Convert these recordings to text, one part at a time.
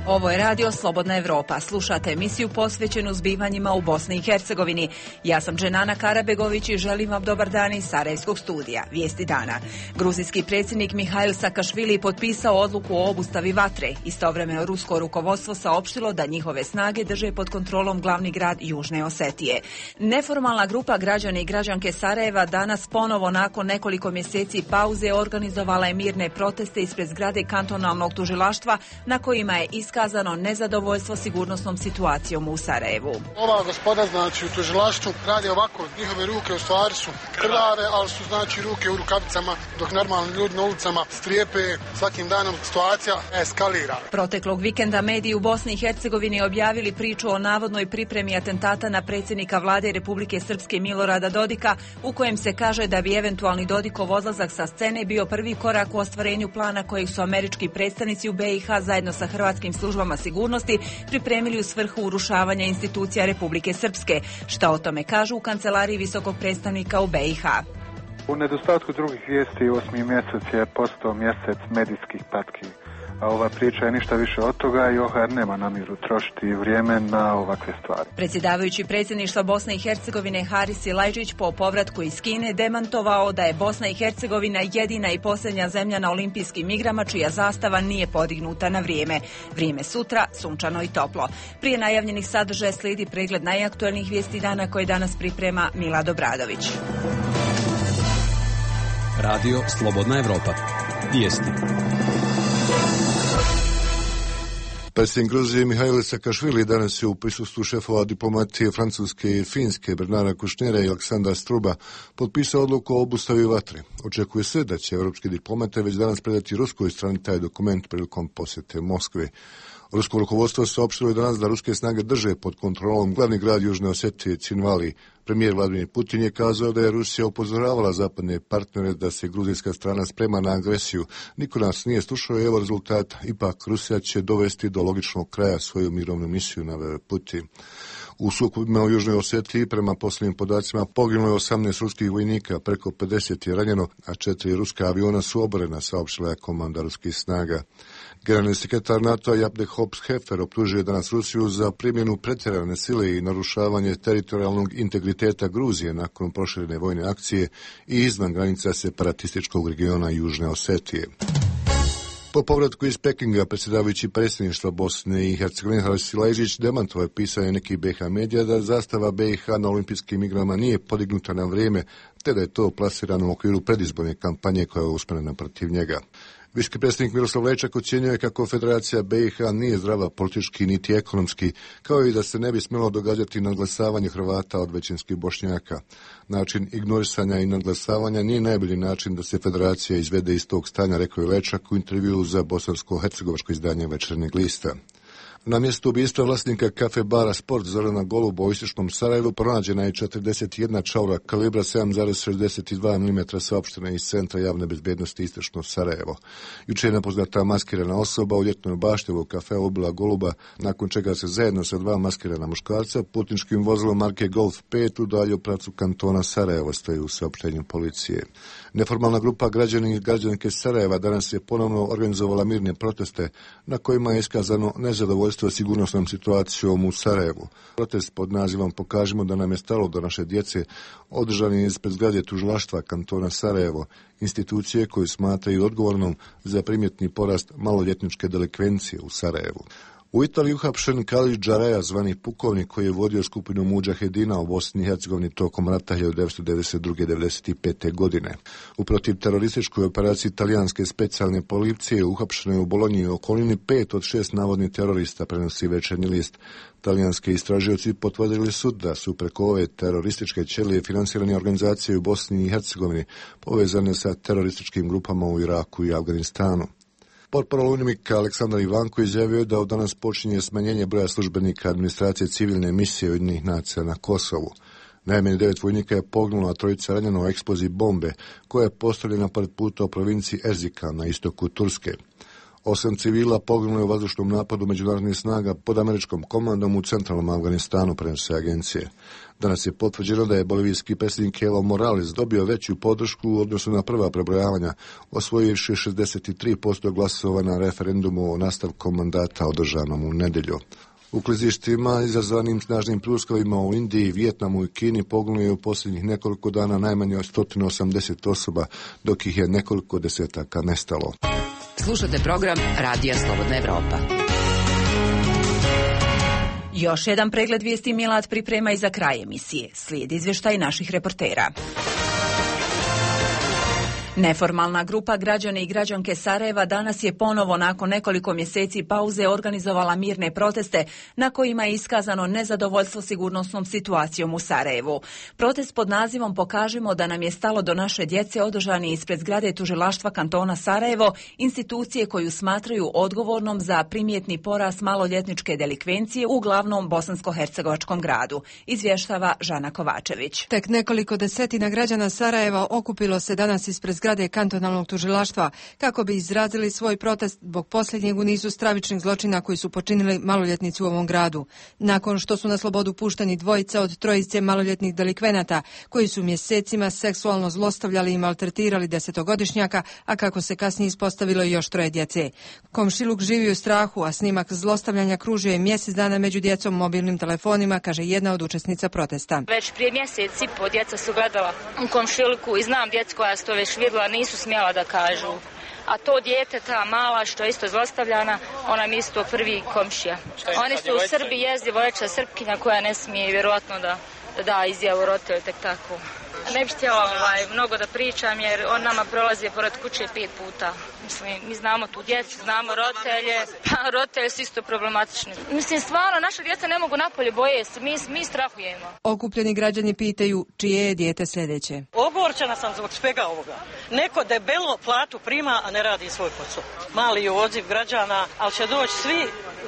Ovo je radio Slobodna Evropa. Slušate emisiju posvećenu zbivanjima u Bosni i Hercegovini. Ja sam Dženana Karabegović i želim vam dobar dan iz Sarajevskog studija. Vijesti dana. Gruzijski predsjednik Mihail Sakašvili potpisao odluku o obustavi vatre. Istovremeno rusko rukovodstvo saopštilo da njihove snage drže pod kontrolom glavni grad Južne Osetije. Neformalna grupa građana i građanke Sarajeva danas ponovo nakon nekoliko mjeseci pauze organizovala je mirne proteste ispred zgrade kantonalnog tužilaštva na kojima je iskazano nezadovoljstvo sigurnosnom situacijom u Sarajevu. Ova gospoda, znači, u tužilaštvu radi ovako, njihove ruke u stvari su krvave, ali su, znači, ruke u rukavicama, dok normalni ljudi na ulicama strijepe, svakim danom situacija eskalira. Proteklog vikenda mediji u Bosni i Hercegovini objavili priču o navodnoj pripremi atentata na predsjednika vlade Republike Srpske Milorada Dodika, u kojem se kaže da bi eventualni Dodikov odlazak sa scene bio prvi korak u ostvarenju plana kojeg su američki predstavnici u BiH zajedno sa hrvatskim službama sigurnosti pripremili u svrhu urušavanja institucija Republike Srpske. Šta o tome kažu u kancelariji visokog predstavnika u BiH? U nedostatku drugih vijesti 8. mjesec je postao mjesec medijskih patki. A ova priča je ništa više od toga i OHR nema namjeru trošiti vrijeme na ovakve stvari. Predsjedavajući predsjedništva Bosne i Hercegovine Haris Silajdžić po povratku iz Kine demantovao da je Bosna i Hercegovina jedina i posljednja zemlja na olimpijskim igrama čija zastava nije podignuta na vrijeme. Vrijeme sutra, sunčano i toplo. Prije najavljenih sadržaja slijedi pregled najaktualnijih vijesti dana koje danas priprema Milad Obradović. Radio Slobodna Evropa. Vijesti. Predsjednik Gruzije Mihail Sakašvili danas je u prisustvu šefova diplomatije Francuske i Finske Bernara Kušnera i Aleksandra Struba potpisao odluku o obustavi vatre. Očekuje se da će europski diplomate već danas predati ruskoj strani taj dokument prilikom posjete Moskve. Rusko rukovodstvo saopštilo je danas da ruske snage drže pod kontrolom glavni grad Južne Osetije Cinvali. Premijer Vladimir Putin je kazao da je Rusija upozoravala zapadne partnere da se gruzijska strana sprema na agresiju. Niko nas nije slušao i evo rezultata. Ipak Rusija će dovesti do logičnog kraja svoju mirovnu misiju, naveo Putin. U sukobima u Južnoj Osetiji prema posljednjim podacima poginulo je 18 ruskih vojnika, preko 50 je ranjeno, a 4 ruska aviona su oborena, saopštila je komanda ruskih snaga. Generalni sekretar NATO-a Jabde Hops-Hefer optužuje danas Rusiju za primjenu pretjerane sile i narušavanje teritorijalnog integriteta Gruzije nakon proširene vojne akcije i izvan granica separatističkog regiona Južne Osetije. Po povratku iz Pekinga, predsjedavajući predsjedništva Bosne i Hercegovine Haris Silajdžić demantovao je pisanje nekih BiH medija da zastava BiH na olimpijskim igrama nije podignuta na vrijeme, te da je to plasirano u okviru predizborne kampanje koja je usmjerena protiv njega. Viški predsjednik Miroslav Lečak ocjenjuje kako Federacija BiH nije zdrava politički niti ekonomski, kao i da se ne bi smjelo događati nadglasavanje Hrvata od većinskih Bošnjaka. Način ignorisanja i nadglasavanja nije najbolji način da se Federacija izvede iz tog stanja, rekao je Lečak u intervjuu za bosansko-hercegovačko izdanje Večernjeg lista. Na mjestu ubistva vlasnika kafe bara Sport Zorana Goluba u istočnom Sarajevu pronađena je 41 čaura kalibra 7,62 mm saopštena iz Centra javne bezbjednosti istočno Sarajevo. Juče je nepoznata maskirana osoba u ljetnoj bašti u kafeu ubila Goluba, nakon čega se zajedno sa 2 maskirana muškarca putničkim vozilom marke Golf 5 udaljio pravcu kantona Sarajevo, stoji u saopštenju policije. Neformalna grupa građana i građanke Sarajeva danas je ponovno organizovala mirne proteste na kojima je iskazano nezadovoljstvo sigurnosnom situacijom u Sarajevu. Protest pod nazivom Pokažimo da nam je stalo do naše djece održan je ispred zgrade tužilaštva kantona Sarajevo, institucije koju smatraju odgovornom za primjetni porast maloljetničke delikvencije u Sarajevu. U Italiji uhapšen Khalid Džaraja, zvani pukovnik koji je vodio skupinu mudžahedina u Bosni i Hercegovini tokom rata 1992-1995. godine. U protiv terorističkoj operaciji italijanske specijalne policije uhapšeno je u Bolonji i okolini 5 od 6 navodnih terorista, prenosi Večernji list. Talijanski istražioci potvrdili su da su preko ove terorističke ćelije finansirane organizacije u Bosni i Hercegovini povezane sa terorističkim grupama u Iraku i Afganistanu. Portparol UNMIK-a Aleksandar Ivanko izjavio je da od danas počinje smanjenje broja službenika administracije civilne misije Ujedinjenih nacija na Kosovu. Najmanje 9 vojnika je poginulo, a 3 ranjeno u eksploziji bombe koja je postavljena pored puta u provinciji Erzikan na istoku Turske. 8 civila poginulo je u vazdušnom napadu međunarodnih snaga pod američkom komandom u centralnom Afganistanu, prenose agencije. Danas je potvrđeno da je bolivijski predsjednik Evo Morales dobio veću podršku u odnosu na prva prebrojavanja, osvojivši 63% glasova na referendumu o nastavku mandata održanom u nedjelju. U klizištima izazvanim snažnim pljuskovima u Indiji, Vijetnamu i Kini poginulo je u posljednjih nekoliko dana najmanje 180 osoba, dok ih je nekoliko desetaka nestalo. Slušate program Radija Slobodna Evropa. Još jedan pregled vijesti Milad priprema i za kraj emisije. Slijedi izvještaj naših reportera. Neformalna grupa građani i građanke Sarajeva danas je ponovo nakon nekoliko mjeseci pauze organizovala mirne proteste na kojima je iskazano nezadovoljstvo sigurnosnom situacijom u Sarajevu. Protest pod nazivom Pokažimo da nam je stalo do naše djece održan je ispred zgrade tužilaštva kantona Sarajevo, institucije koju smatraju odgovornom za primjetni porast maloljetničke delikvencije u glavnom bosansko-hercegovačkom gradu, izvještava Žana Kovačević. Tek nekoliko desetina građana Sarajeva okupilo se danas ispred zgrade kantonalnog tužilaštva kako bi izrazili svoj protest zbog posljednjeg u nizu stravičnih zločina koji su počinili maloljetnici u ovom gradu. Nakon što su na slobodu pušteni dvojica od trojice maloljetnih delikvenata koji su mjesecima seksualno zlostavljali i maltretirali 10-godišnjaka, a kako se kasnije ispostavilo još 3 djece. Komšiluk živi u strahu, a snimak zlostavljanja kružio je mjesec dana među djecom mobilnim telefonima, kaže jedna od učesnica protesta. Već prije mjesec i po djeca su gledala u komšiluku i znam djecu koja su to već vidjela, nisu smjela da kažu. A to dijete, ta mala što je isto zlostavljana, ona mi isto prvi komšija. Oni su u Srbiji jezdivojeća Srpkinja koja ne smije vjerojatno da izjavu roditelj tek tako. Ne bih htjela mnogo da pričam jer on nama prolazi pored kuće 5 puta. Mislim, mi znamo tu djecu, znamo roditelje, roditelji su isto problematični. Mislim, stvarno, naša djeca ne mogu napolje boje se, mi strahujemo. Okupljeni građani pitaju čije je dijete sljedeće. Ogorčena sam zbog svega ovoga. Neko debelo platu prima, a ne radi svoj posao. Mali je odziv građana, ali će doći svi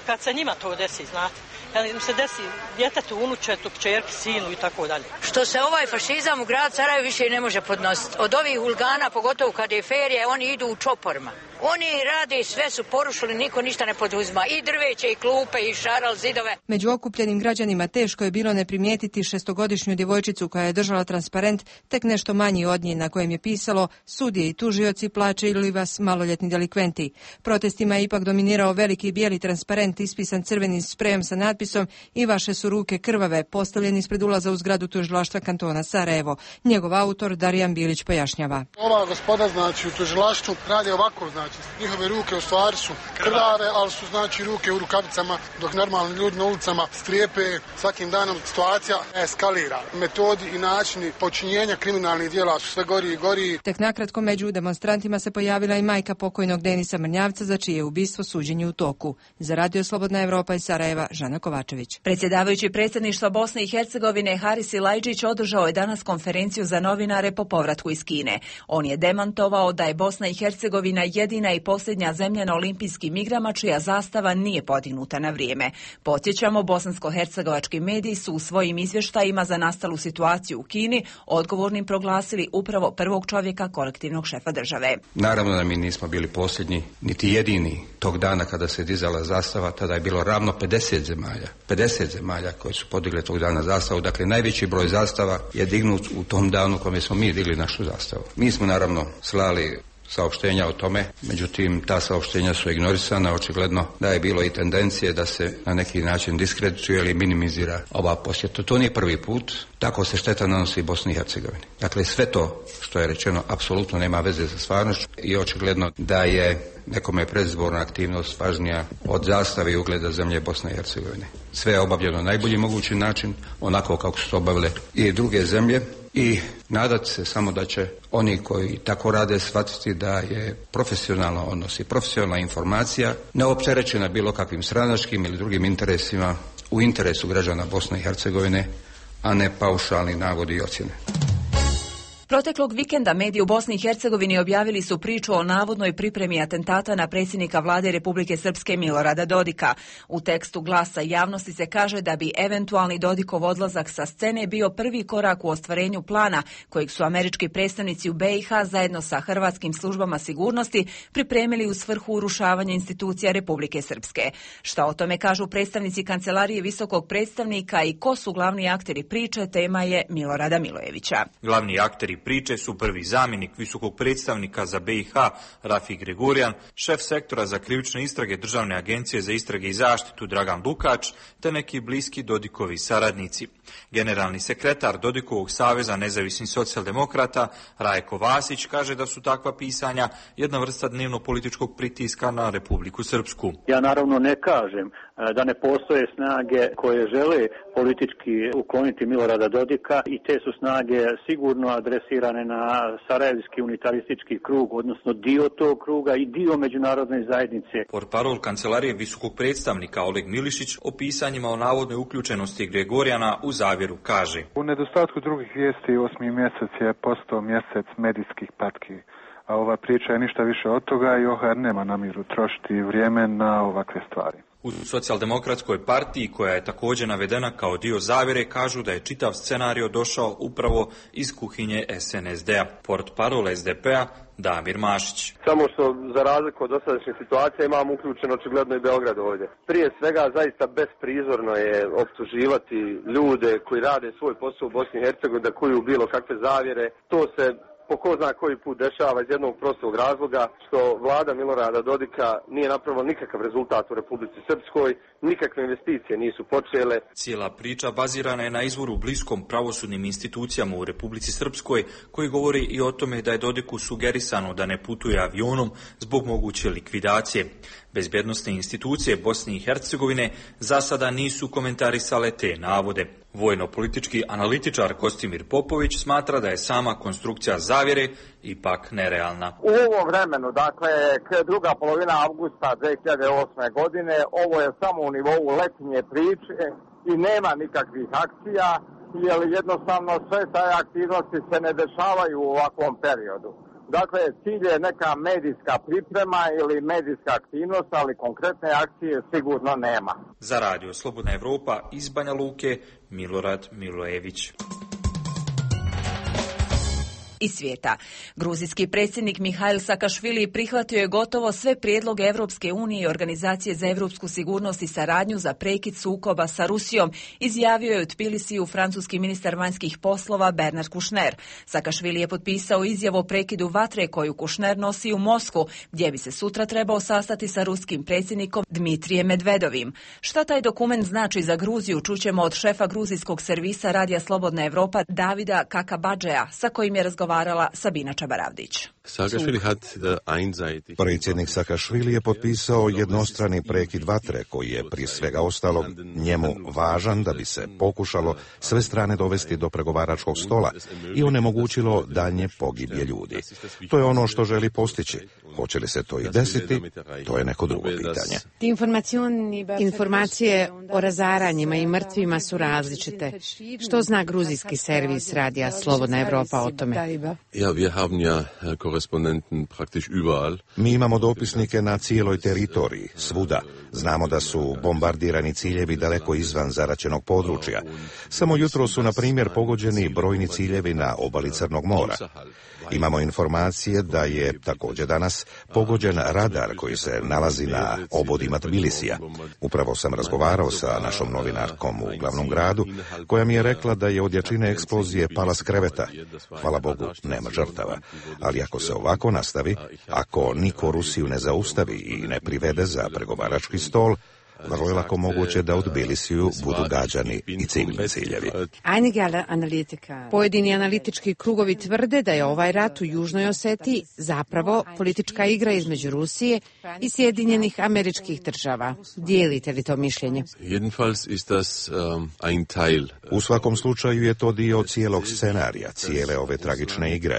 kad se njima to desi, znate. Kad im se desi djetetu, unučetu, kćerki, sinu i tako dalje. Što se ovaj fašizam u grad Sarajevo više ne može podnositi. Od ovih huligana, pogotovo kad je ferija, oni idu u čoporima. Oni rade, sve su porušili, niko ništa ne poduzima. I drveće, i klupe, i šaral, zidove. Među okupljenim građanima teško je bilo ne primijetiti 6-godišnju djevojčicu koja je držala transparent, tek nešto manji od nje, na kojem je pisalo sudije i tužioci plaćaju vas maloljetni delikventi. Protestima je ipak dominirao veliki bijeli transparent ispisan crvenim sprejom sa natpisom i vaše su ruke krvave, postavljen ispred ulaza u zgradu tužilaštva kantona Sarajevo. Njegov autor Darijan Bilić pojašnjava. Ova gospoda, znači, u tužilaštvu radi ovako, znači, njihove ruke u stvari su krvave, ali su, znači, ruke u rukavicama, dok normalni ljudi na ulicama strijepe. Svakim danom situacija eskalira. Metodi i načini počinjenja kriminalnih djela su sve gori i gori. Tek nakratko među demonstrantima se pojavila i majka pokojnog Denisa Mrnjavca, za čije ubistvo suđenje u toku. Za Radio Slobodna Evropa iz Sarajeva, Žana Kovačević. Predsjedavajući predsjedništva Bosne i Hercegovine Haris Ilajđić održao je danas konferenciju za novinare po povratku iz Kine. On je demantovao da je Bosna i Hercegovina jedina i posljednja zemlja na olimpijskim igrama čija zastava nije podignuta na vrijeme. Podsjećamo, bosansko-hercegovački mediji su u svojim izvještajima za nastalu situaciju u Kini odgovornim proglasili upravo prvog čovjeka kolektivnog šefa države. Naravno da mi nismo bili posljednji, niti jedini. Tog dana kada se dizala zastava, tada je bilo ravno 50 zemalja koje su podigle tog dana zastavu. Dakle, najveći broj zastava je dignut u tom danu kome smo mi digli našu zastavu. Mi smo naravno slali saopštenja o tome, međutim ta saopštenja su ignorisana, očigledno da je bilo i tendencije da se na neki način diskredituje ili minimizira ova posjeta. To nije prvi put, tako se šteta nanosi Bosni i Hercegovini. Dakle, sve to što je rečeno apsolutno nema veze sa stvarnošću i očigledno da je nekome predizborna aktivnost važnija od zastave i ugleda zemlje Bosne i Hercegovine. Sve je obavljeno na najbolji mogući način, onako kako su to obavile i druge zemlje. I nadati se samo da će oni koji tako rade shvatiti da je profesionalno odnos i profesionalna informacija neopterećena bilo kakvim stranačkim ili drugim interesima u interesu građana Bosne i Hercegovine, a ne paušalni navodi i ocjene. Proteklog vikenda mediji u Bosni i Hercegovini objavili su priču o navodnoj pripremi atentata na predsjednika vlade Republike Srpske Milorada Dodika. U tekstu Glasa javnosti se kaže da bi eventualni Dodikov odlazak sa scene bio prvi korak u ostvarenju plana kojeg su američki predstavnici u BiH zajedno sa hrvatskim službama sigurnosti pripremili u svrhu urušavanja institucija Republike Srpske. Šta o tome kažu predstavnici Kancelarije visokog predstavnika i ko su glavni akteri priče, tema je Milorada Milojevića. Glavni akteri priče su prvi zamjenik visokog predstavnika za BiH Rafi Gregorijan, šef sektora za krivične istrage Državne agencije za istrage i zaštitu Dragan Lukač, te neki bliski Dodikovi saradnici. Generalni sekretar Dodikovog saveza nezavisnih socijaldemokrata Rajko Vasić kaže da su takva pisanja jedna vrsta dnevno-političkog pritiska na Republiku Srpsku. Ja naravno ne kažem da ne postoje snage koje žele politički ukloniti Milorada Dodika i te su snage sigurno adresirane na sarajevski unitaristički krug, odnosno dio tog kruga i dio međunarodne zajednice. Portparol Kancelarije visokog predstavnika Oleg Milišić o pisanjima o navodnoj uključenosti Gregorijana u zavjeru kaže: U nedostatku drugih vijesti 8. mjesec je postao mjesec medijskih patki. A ova priča je ništa više od toga i OHR nema namjeru trošiti vrijeme na ovakve stvari. U Socijaldemokratskoj partiji, koja je također navedena kao dio zavjere, kažu da je čitav scenario došao upravo iz kuhinje SNSD-a. Portparol SDP-a Damir Mašić. Samo što za razliku od dosadašnje situacije imamo uključen očigledno i Beograd ovdje. Prije svega zaista besprizorno je optuživati ljude koji rade svoj posao u Bosni i Hercegovini da kuju bilo kakve zavjere. To se po ko zna koji put dešava iz jednog prostog razloga što vlada Milorada Dodika nije napravila nikakav rezultat u Republici Srpskoj, nikakve investicije nisu počele. Cijela priča bazirana je na izvoru bliskom pravosudnim institucijama u Republici Srpskoj, koji govori i o tome da je Dodiku sugerisano da ne putuje avionom zbog moguće likvidacije. Bezbjednosne institucije Bosne i Hercegovine za sada nisu komentarisale te navode. Vojno-politički analitičar Kostimir Popović smatra da je sama konstrukcija zavjere ipak nerealna. U ovom vremenu, dakle, druga polovina avgusta 2008. godine, ovo je samo u nivou letnje priče i nema nikakvih akcija, jer jednostavno sve taj aktivnosti se ne dešavaju u ovakvom periodu. Dakle, cilj je neka medijska priprema ili medijska aktivnost, ali konkretne akcije sigurno nema. Za Radio Slobodna Evropa iz Banja Luke, Milorad Milojević. Iz svijeta. Gruzijski predsjednik Mihail Sakašvili prihvatio je gotovo sve prijedloge Europske unije i Organizacije za europsku sigurnost i saradnju za prekid sukoba sa Rusijom, izjavio je u Tbilisiju francuski ministar vanjskih poslova Bernard Kouchner. Sakašvili je potpisao izjavu o prekidu vatre koju Kouchner nosi u Moskvu, gdje bi se sutra trebao sastati sa ruskim predsjednikom Dmitrijem Medvedovim. Šta taj dokument znači za Gruziju, čućemo od šefa gruzijskog servisa Radija Slobodna Evropa Davida Kakabadžeja, sa kojim je razgovarala Sabina Čabaravdić. Predsjednik Sakašvili je potpisao jednostrani prekid vatre koji je prije svega ostalog njemu važan da bi se pokušalo sve strane dovesti do pregovaračkog stola i onemogućilo daljnje pogibije ljudi. To je ono što želi postići. Hoće li se to i desiti, to je neko drugo pitanje. Informacije o razaranjima i mrtvima su različite. Što zna gruzijski servis Radija Slobodna Evropa o tome? Mi imamo dopisnike na cijeloj teritoriji, svuda. Znamo da su bombardirani ciljevi daleko izvan zaraćenog područja. Samo jutro su, na primjer, pogođeni brojni ciljevi na obali Crnog mora. Imamo informacije da je također danas pogođen radar koji se nalazi na obodima Tbilisija. Upravo sam razgovarao sa našom novinarkom u glavnom gradu, koja mi je rekla da je od jačine eksplozije pala s kreveta. Hvala Bogu, nema žrtava. Ali ako se ovako nastavi, ako niko Rusiju ne zaustavi i ne privede za pregovarački stol, vrlo je lako moguće da u Tbilisiju budu gađani i civilni ciljevi. Pojedini analitički krugovi tvrde da je ovaj rat u Južnoj Osetiji zapravo politička igra između Rusije i Sjedinjenih Američkih Država. Dijelite li to mišljenje? U svakom slučaju je to dio cijelog scenarija, cijele ove tragične igre.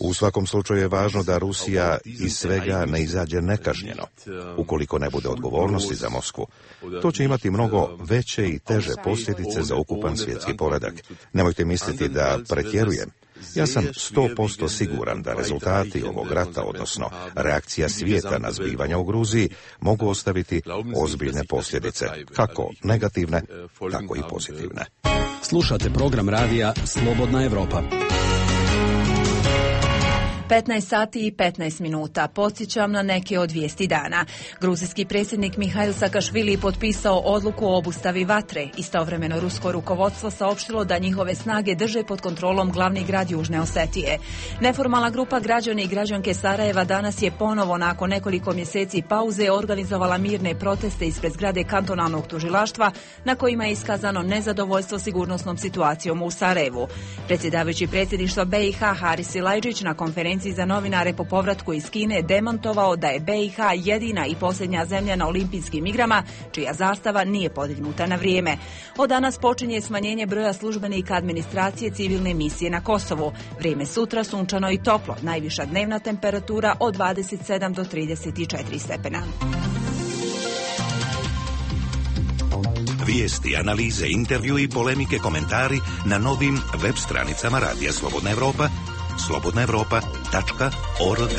U svakom slučaju je važno da Rusija iz svega ne izađe nekažnjeno. Ukoliko ne bude odgovornosti za Moskvu, to će imati mnogo veće i teže posljedice za ukupan svjetski poredak. Nemojte misliti da pretjerujem. Ja sam 100% siguran da rezultati ovog rata, odnosno reakcija svijeta na zbivanja u Gruziji, mogu ostaviti ozbiljne posljedice, kako negativne, tako i pozitivne. Slušate program radija Slobodna Evropa. 15 sati i 15 minuta. Podsjećam na neke od vijesti dana. Gruzijski predsjednik Mihail Sakašvili potpisao odluku o obustavi vatre. Istovremeno rusko rukovodstvo saopštilo da njihove snage drže pod kontrolom glavni grad Južne Osetije. Neformalna grupa građana i građanke Sarajeva danas je ponovo nakon nekoliko mjeseci pauze organizovala mirne proteste ispred zgrade kantonalnog tužilaštva na kojima je iskazano nezadovoljstvo sigurnosnom situacijom u Sarajevu. Predsjedavajući predsjedništva BiH Haris Silajdžić na konferenciji za novinare po povratku iz Kine demantovao da je BiH jedina i posljednja zemlja na olimpijskim igrama čija zastava nije podignuta na vrijeme. Od danas počinje smanjenje broja službenika administracije civilne misije na Kosovu. Vrijeme sutra sunčano i toplo, najviša dnevna temperatura od 27 do 34 stepena. Vijesti, analize, intervju i polemike, komentari na novim web stranicama Radija Slobodna Evropa, slobodnaevropa.org.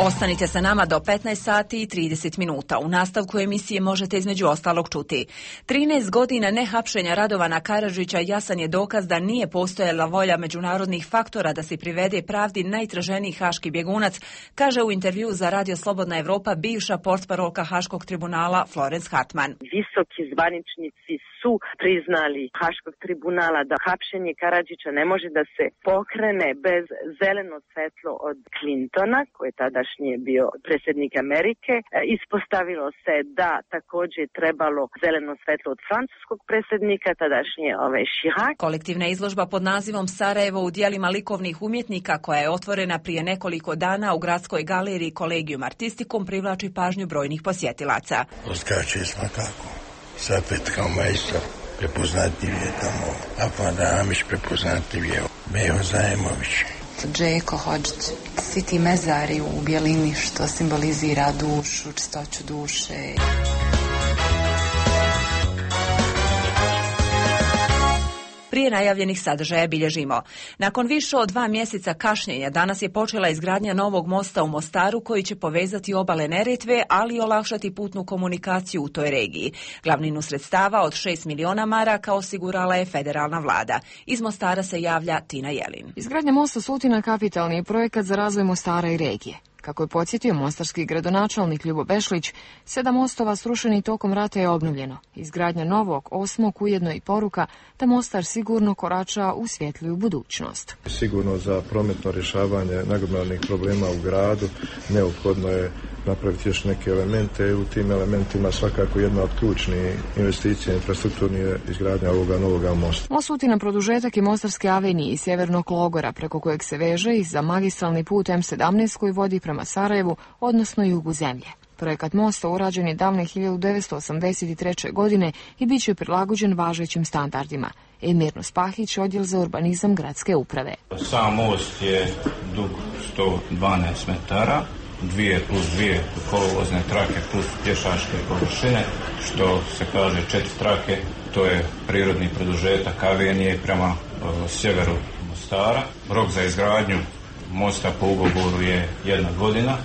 Ostanite sa nama do 15 sati i 30 minuta. U nastavku emisije možete između ostalog čuti. 13 godina nehapšenja Radovana Karadžića jasan je dokaz da nije postojala volja međunarodnih faktora da se privede pravdi najtraženiji haški bjegunac, kaže u intervju za Radio Slobodna Evropa bivša portparolka Haškog tribunala Florence Hartman. Visoki zvaničnici su priznali Haškog tribunala da hapšenje Karadžića ne može da se pokrene bez zeleno svetlo od Clintona, koji je tadašnji bio predsjednik Amerike. Ispostavilo se da također trebalo zeleno svetlo od francuskog predsjednika, tadašnje Chirac. Kolektivna izložba pod nazivom Sarajevo u dijelima likovnih umjetnika, koja je otvorena prije nekoliko dana u gradskoj galeriji Collegium Artisticum, privlači pažnju brojnih posjetilaca. Odskače smo kako. Sapet kao majstor, prepoznatljiv je tamo. Afanda Amiš prepoznatljiv je. Meho Zajemović. Džeko Hodžić, svi ti mezari u bjelini što simbolizira dušu, čistoću duše. Prije najavljenih sadržaja bilježimo. Nakon više od 2 mjeseca kašnjenja danas je počela izgradnja novog mosta u Mostaru koji će povezati obale Neretve, ali i olakšati putnu komunikaciju u toj regiji. Glavninu sredstava od 6 miliona maraka osigurala je federalna vlada. Iz Mostara se javlja Tina Jelin. Izgradnja mosta Sutina kapitalni je projekat za razvoj Mostara i regije. Kako je podsjetio mostarski gradonačelnik Ljubo Bešlić, 7 mostova srušenih tokom rata je obnovljeno. Izgradnja novog, 8. ujedno i poruka da Mostar sigurno korača u svjetliju budućnost. Sigurno za prometno rješavanje nagomilanih problema u gradu neophodno je napraviti još neke elemente i u tim elementima svakako jedna od ključnih investicija infrastrukturni je izgradnja ovoga novoga mosta. Most Sutina produžetak je Mostarske avenije i Sjevernog Logora, preko kojeg se veže i za magistralni put M17 koji vodi prema Sarajevu, odnosno jugu zemlje. Projekat mosta urađen je davne 1983. godine i bit će prilagođen važećim standardima. Emirno Spahić, odjel za urbanizam gradske uprave. Sam most je dug 112 metara, 2 plus 2 kolovozne trake plus pješačke površine, što se kaže 4 trake, to je prirodni produžetak avenije prema sjeveru Mostara. Rok za izgradnju mosta po ugovoru je 1 godina.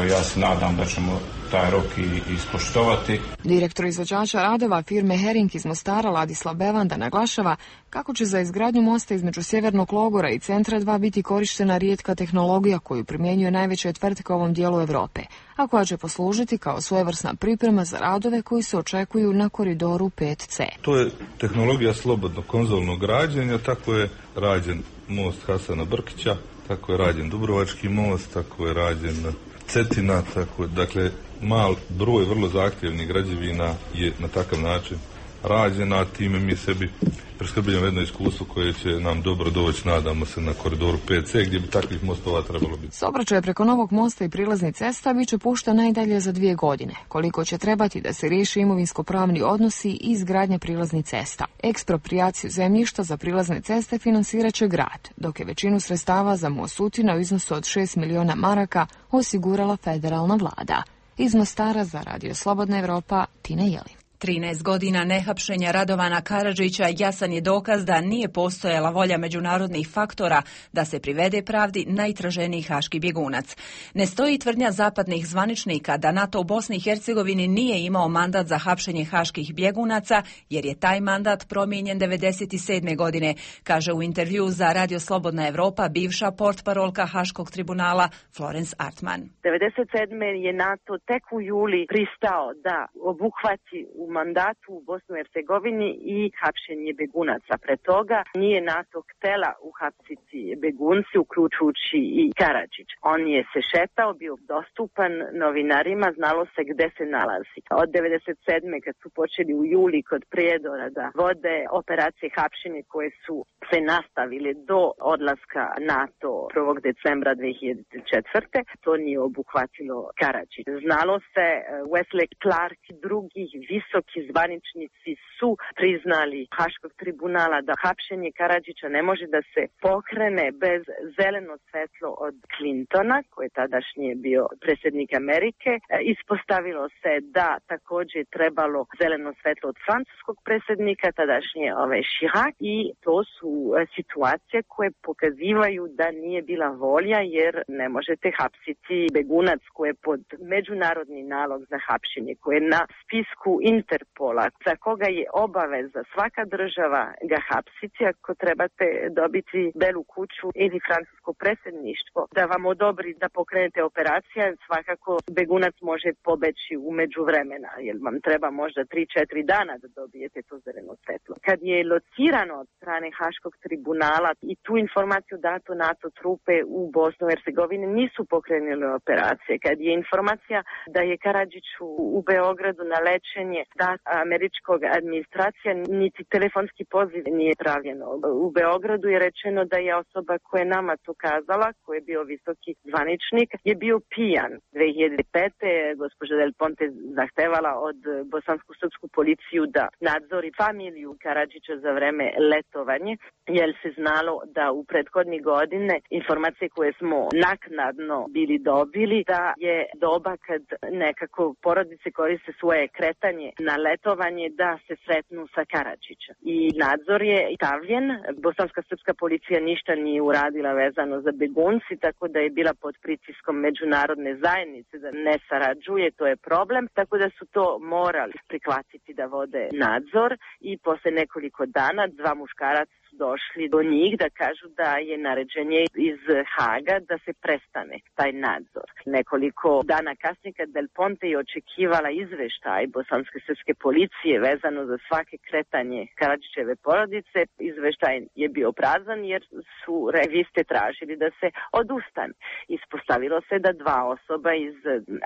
Ja se nadam da ćemo taj rok i ispoštovati. Direktor izvođača radova firme Hering iz Mostara Ladislav Bevanda naglašava kako će za izgradnju mosta između Sjevernog Logora i Centra 2 biti korištena rijetka tehnologija koju primjenjuje najveće tvrtke u ovom dijelu Europe, a koja će poslužiti kao svojevrsna priprema za radove koji se očekuju na koridoru 5C. To je tehnologija slobodnog konzolnog građenja, tako je rađen most Hasana Brkića, tako je rađen Dubrovački most, tako je rađen Cetina, tako, dakle, mal broj vrlo zahtjevnih građevina je na takav način rađena, a time mi sebi preskrbljamo jedno iskustvo koje će nam dobro doći, nadamo se, na koridoru 5C, gdje bi takvih mostova trebalo biti. Saobraćaj preko novog mosta i prilaznih cesta bit će pušten najdalje za 2 godine, koliko će trebati da se riješi imovinsko-pravni odnosi i izgradnja prilaznih cesta. Eksproprijaciju zemljišta za prilazne ceste financirat će grad, dok je većinu sredstava za most Sutina u iznosu od 6 miliona maraka osigurala federalna vlada. Iz Mostara za Radio Slobodna Evropa, Tina Jelin. 13 godina nehapšenja Radovana Karadžića jasan je dokaz da nije postojala volja međunarodnih faktora da se privede pravdi najtraženiji haški bjegunac. Ne stoji tvrdnja zapadnih zvaničnika da NATO u Bosni i Hercegovini nije imao mandat za hapšenje haških bjegunaca, jer je taj mandat promijenjen 1997. godine, kaže u intervju za Radio Slobodna Evropa bivša portparolka Haškog tribunala Florence Artman. 1997. je NATO tek u juli pristao da obuhvati u mandatu u Bosnu i Hercegovini i hapšenje begunaca. Pre toga nije NATO htela uhapsiti begunci, uključujući i Karadžić. On je se šetao, bio dostupan novinarima, znalo se gde se nalazi. Od 1997. kad su počeli u juli kod Prijedora da vode operacije hapšenja koje su se nastavile do odlaska NATO 1. decembra 2004. To nije obuhvatilo Karadžić. Znalo se, Wesley Clark i drugi visoki zvaničnici su priznali Haškog tribunala da hapšenje Karadžića ne može da se pokrene bez zeleno svetlo od Clintona, koji je tadašnji bio predsjednik Amerike. Ispostavilo se da također je trebalo zeleno svetlo od francuskog predsjednika, tadašnje Chirac, i to su situacije koje pokazivaju da nije bila volja, jer ne možete hapsiti begunac koji je pod međunarodni nalog za hapšenje, koji je na spisku Interpola, za koga je obaveza svaka država ga hapsiti ako trebate dobiti Belu kuću ili francusko predsjedništvo da vam odobri da pokrenete operacija. Svakako begunac može pobeći u međuvremena, jer vam treba možda 3-4 dana da dobijete to zeleno svetlo. Kad je locirano od strane Haškog tribunala i tu informaciju dato NATO trupe u Bosnu i Hercegovini nisu pokrenuli operacije. Kad je informacija da je Karadžiću u Beogradu na lečenje da američkog administracija, niti telefonski poziv nije pravljeno. U Beogradu je rečeno da je osoba koja je nama to kazala, koji je bio visoki zvaničnik, je bio pijan. 2005. gospođa Del Ponte zahtevala od bosansko-srpsku policiju da nadzori familiju Karadžića za vreme letovanje, jer se znalo da u prethodni godine informacije koje smo naknadno bili dobili, da je doba kad nekako porodice koriste svoje kretanje na letovanje da se sretnu sa Karadžićem. I nadzor je stavljen, bosanska srpska policija ništa nije uradila vezano za begunci, tako da je bila pod pritiskom međunarodne zajednice da ne sarađuje, to je problem, tako da su to morali prihvatiti da vode nadzor i posle nekoliko dana 2 muškaraca došli do njih da kažu da je naređenje iz Haga da se prestane taj nadzor. Nekoliko dana kasnije kad Del Ponte je očekivala izveštaj bosanske srpske policije vezano za svake kretanje Karadžićeve porodice, izveštaj je bio prazan jer su reviste tražili da se odustane. Ispostavilo se da 2 osoba iz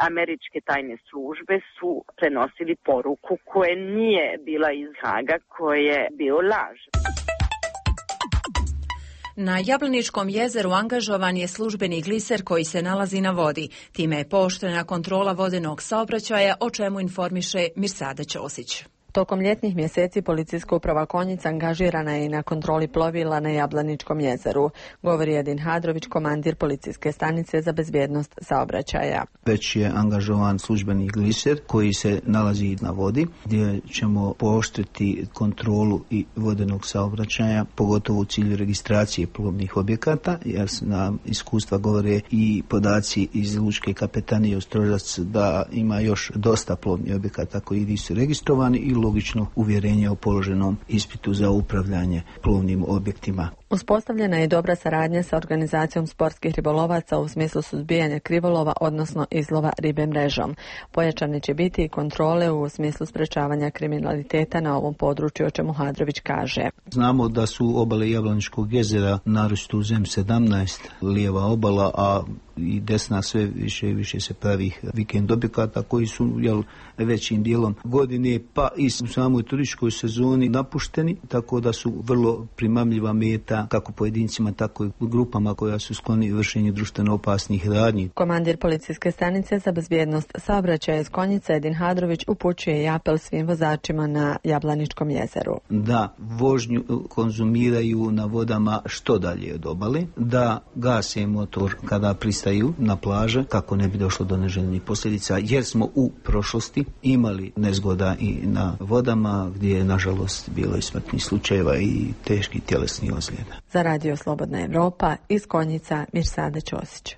američke tajne službe su prenosili poruku koja nije bila iz Haga, koja je bio laž. Na Jablaničkom jezeru angažovan je službeni gliser koji se nalazi na vodi. Time je pooštrena kontrola vodenog saobraćaja, o čemu informiše Mirsada Ćosić. Tokom ljetnih mjeseci policijska uprava Konjica angažirana je i na kontroli plovila na Jablaničkom jezeru, govori Edin Hadrović, komandir policijske stanice za bezbjednost saobraćaja. Već je angažovan službeni gliser koji se nalazi na vodi, gdje ćemo pooštriti kontrolu i vodenog saobraćaja, pogotovo u cilju registracije plovnih objekata, jer nam iskustva govore i podaci iz Lučke kapetanije Ostrožac da ima još dosta plovnih objekata koji nisu registrovani i logično uvjerenje o položenom ispitu za upravljanje plovnim objektima. Uspostavljena je dobra saradnja sa organizacijom sportskih ribolovaca u smislu suzbijanja krivolova, odnosno izlova ribe mrežom. Pojačane će biti i kontrole u smislu sprečavanja kriminaliteta na ovom području, o čemu Hadrović kaže. Znamo da su obale Jablaničkog jezera, naročito u ZEM-17, lijeva obala, a i desna sve više i više se pravi vikend objekata koji su većim dijelom godine pa i u samoj turističkoj sezoni napušteni, tako da su vrlo primamljiva meta kako pojedincima, tako i grupama koja su skloni vršenju društveno opasnih radnji. Komandir policijske stanice za bezbjednost saobraćaja iz Konjice Edin Hadrović upućuje i apel svim vozačima na Jablaničkom jezeru. Da vožnju konzumiraju na vodama što dalje od obale, da gase motor kada pristane pristaju na plaže kako ne bi došlo do neželjenih posljedica, jer smo u prošlosti imali nezgoda i na vodama gdje je nažalost bilo i smrtnih slučajeva i teških tjelesnih ozljeda. Za Radio Slobodna Evropa iz Konjica Mirsada Ćosić.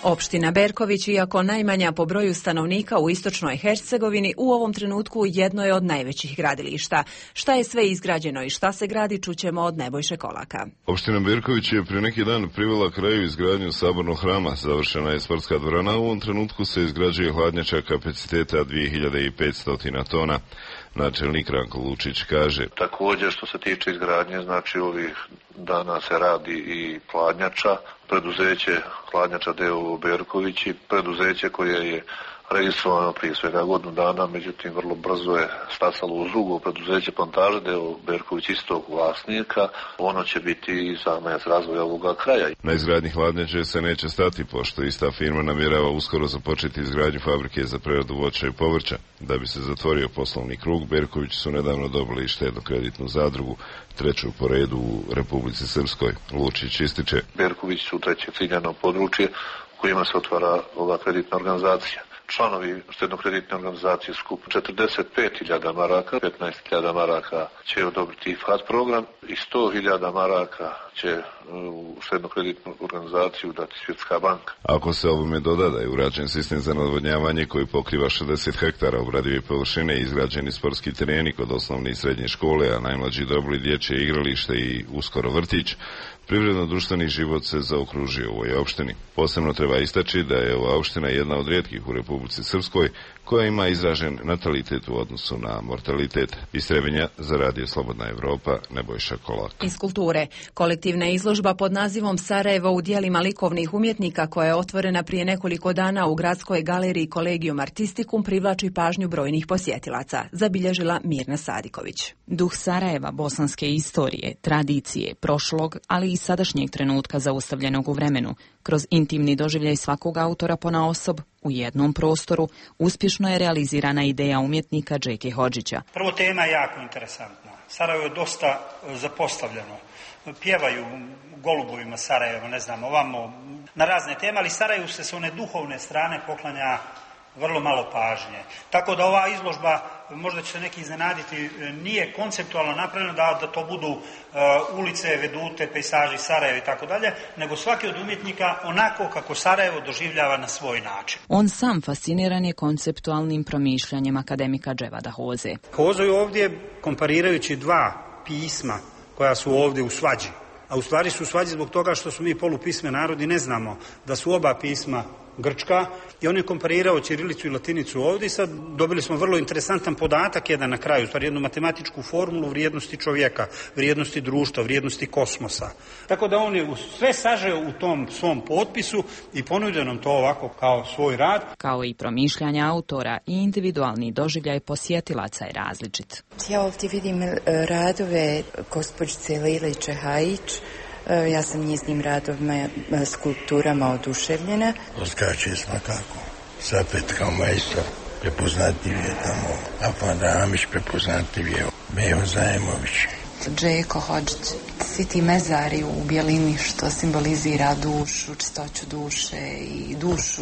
Opština Berković, iako najmanja po broju stanovnika u istočnoj Hercegovini, u ovom trenutku jedno je od najvećih gradilišta. Šta je sve izgrađeno i šta se gradi, čućemo od Nebojše Kolaka. Opština Berković je prije neki dan privela kraju izgradnju sabornog hrama. Završena je sportska dvorana, u ovom trenutku se izgrađuje hladnjača kapaciteta 2500 tona. Načelnik Ranko Lučić kaže: također što se tiče izgradnje, znači ovih dana se radi i hladnjača, preduzeće hladnjača d.o.o. Berković i preduzeće koje je registrovano prije svega godinu dana, međutim vrlo brzo je stasalo uz drugo preduzeće Plantaže d.o.o. Berković istog vlasnika. Ono će biti i zamajac razvoja ovoga kraja. Na izgradnji hladnjače se neće stati, pošto ista firma namjerava uskoro započeti izgradnju fabrike za preradu voća i povrća. Da bi se zatvorio poslovni krug, Berković su nedavno dobili štedno-kreditnu zadrugu, treću po redu u Republici Srpskoj. Lučić ističe: Berković su treće ciljano područje u kojima se otvara ova kreditna organizacija. Članovi štedno-kreditne organizacije skup 45.000 maraka, 15.000 maraka će odobriti FAT program i 100.000 maraka će u štedno-kreditnu organizaciju dati Svjetska banka. Ako se ovome doda da je urađen sistem za navodnjavanje koji pokriva 60 hektara obradive površine i izgrađeni sportski tereni kod osnovne i srednje škole, a najmlađi dobili dječje igralište i uskoro vrtić, privredno-društveni život se zaokružio u ovoj opštini. Posebno treba istaći da je ova opština jedna od rijetkih u Republici Srpskoj koja ima izražen natalitet u odnosu na mortalitet. Iz Trebinja za Radio Slobodna Evropa, Nebojša Kolak. Iz kulture. Kolektivna izložba pod nazivom Sarajevo u dijelima likovnih umjetnika, koja je otvorena prije nekoliko dana u Gradskoj galeriji Collegium Artisticum, privlači pažnju brojnih posjetilaca, zabilježila Mirna Sadiković. Duh Sarajeva, bosanske istorije, tradicije, prošlog, ali i sadašnjeg trenutka zaustavljenog u vremenu, kroz intimni doživljaj svakog autora ponaosob, u jednom prostoru, uspješno je realizirana ideja umjetnika Džeke Hodžića. Prvo, tema je jako interesantna. Sarajevo je dosta zapostavljeno. Pjevaju golubovima Sarajeva, ne znam, ovamo, na razne teme, ali Sarajevu se s one duhovne strane poklanja vrlo malo pažnje. Tako da ova izložba, možda će se neki iznenaditi, nije konceptualno napravljena da to budu ulice, vedute, pejsaži Sarajeva i tako dalje, nego svaki od umjetnika onako kako Sarajevo doživljava na svoj način. On sam fasciniran je konceptualnim promišljanjem akademika Dževada Hoze. Hozo je ovdje, komparirajući dva pisma koja su ovdje u svađi, a u stvari su u svađi zbog toga što su mi polupisme narodi, ne znamo da su oba pisma grčka, i on je komparirao ćirilicu i latinicu ovdje i sad dobili smo vrlo interesantan podatak jedan na kraju, stvari jednu matematičku formulu vrijednosti čovjeka, vrijednosti društva, vrijednosti kosmosa. Tako da on je sve sažeo u tom svom potpisu i ponudio nam to ovako kao svoj rad. Kao i promišljanja autora i individualni doživljaj posjetilaca je različit. Ja ovdje vidim radove gospođice Lile Čehajić. Ja sam njeznim radovima, skulpturama oduševljena. Odskače svakako. Sapet kao majstor, prepoznatljiv je tamo. Afan Amić prepoznatljiv je. Meho Zajemović. Džeko Hodžić, svi ti mezari u bijelini što simbolizira dušu, čistoću duše i dušu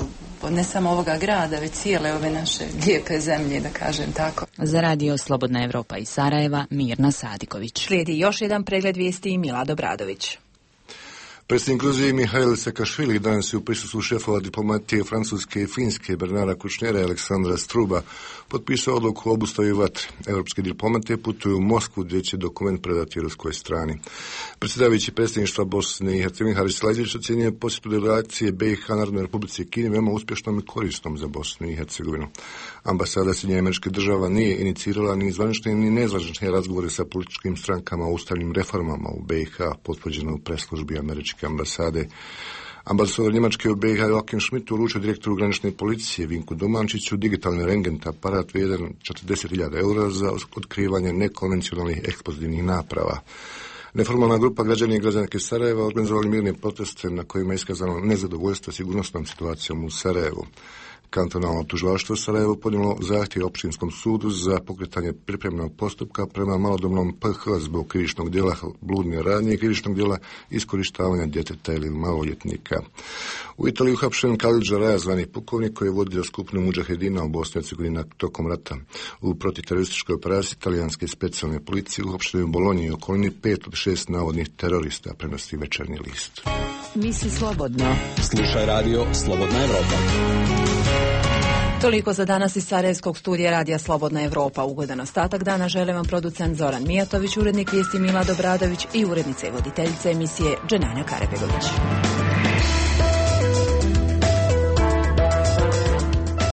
ne samo ovoga grada, već cijele ove naše lijepe zemlje, da kažem tako. Za Radio Slobodna Evropa iz Sarajeva, Mirna Sadiković. Slijedi još jedan pregled vijesti i Milad Obradović. Predsjednik Gruzije Mihail Sakašvili danas je u prisustvu šefova diplomatije Francuske i Finske Bernara Kušnera i Aleksandra Struba potpisao odluku o obustavi vatre. Europske diplomate putuju u Moskvu gdje će dokument predati ruskoj strani. Predsjedavajući predsjedništva Bosne i Hercegovine Haris Lazić ocjenjuje posjetu delegacije BiH Narodnoj Republici Kini veoma uspješnom i korisnom za Bosnu i Hercegovinu. Ambasada Sjedinjenih Američkih Država nije inicirala ni zvanične ni nezvanične razgovore sa političkim strankama o ustavnim reformama u BiH, potvrđeno u preslužbi američke ambasade. Ambasador Njemačke u BiH Joachim Schmidt uručio direktoru granične policije Vinku Dumančiću digitalni rengent aparat vrijedan 40.000 eura za otkrivanje nekonvencionalnih eksplozivnih naprava. Neformalna grupa građana i građanke Sarajeva organizovali mirne proteste na kojima je iskazano nezadovoljstvo sigurnosnom situacijom u Sarajevu. Kantonalno tužilaštvo Sarajevo podnijelo zahtjev općinskom sudu za pokretanje pripremnog postupka prema malodobnom PH zbog krivičnog djela bludne radnje i krivičnog djela iskorištavanja djeteta ili maloljetnika. U Italiji uhapšen Khalid Žaraja, zvani pukovnik, koji je vodio skupinu mudžahedina u Bosni i Hercegovini tokom rata. U protiterorističkoj operaciji italijanske specijalne policije uhapšeni u Bolonji i okolini 5 od 6 navodnih terorista, prenosi Večernji list. Misli slobodno. Slušaj radio Slobodna Evropa. Toliko za danas iz Sarajevskog studija Radija Slobodna Evropa. Ugodan ostatak dana žele vam producent Zoran Mijatović, urednik vijesti Mila Dobradović i urednica i voditeljica emisije Dženana Karabegović.